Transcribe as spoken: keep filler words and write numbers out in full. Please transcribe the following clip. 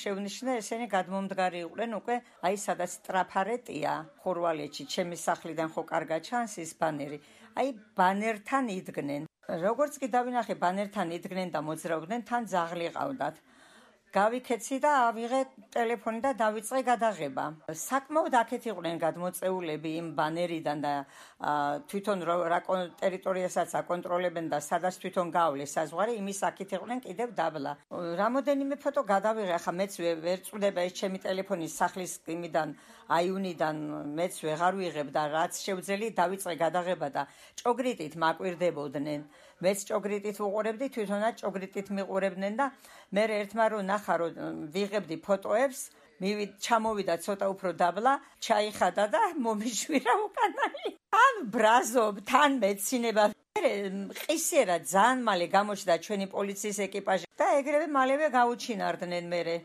Შეუნიშნა ესენი გადმომდგარი იყვნენ უკვე აი სადაც ტრაფარეტია ხორვალეთში ჩემი სახლიდან ხო კარგად ჩანს ის ბანერი აი ბანერთან იდგნენ როგორც კი დავინახე ბანერთან იდგნენ და მოძრაობდნენ თან ძაღლი ყავდათ გავიქეცი და ავიღე ტელეფონი და დავიწყე გადაღება საკმაოდ აქეთ იყვნენ გადმოწეულები იმ ბანერიდან და თვითონ რა ტერიტორიასაც აკონტროლებენ და სადაც თვითონ გავლეს საზღვარი იმის აქეთ იყვნენ კიდევ დაბლა რამოდენიმე ფოტო გადავიღე ახლა მეც ვერ წვდება ეს ჩემი ტელეფონი სახლის იმიდან აიუნიდან მეც ვეღარ ვიღებ და რაც შევძელი დავიწყე გადაღება და ჭოგრიტით მაკვირდებოდნენ მეც ჭოგრიტით ვუყურებდი თვითონაც ჭოგრიტით მიყურებდნენ და მე ერთმა რო ნახა რომ ვიღებდი ფოტოებს მივით ჩამოვიდა ცოტა უფრო დაბლა ჩაიხადა და მომიშვირა უკანალი თან ბრაზობ თან მეცინება ყისერა ძალიან მალე გამოჩნდა ჩვენი პოლიციის ეკიპაჟი და ეგრევე მალევე გაუჩინარდნენ მერე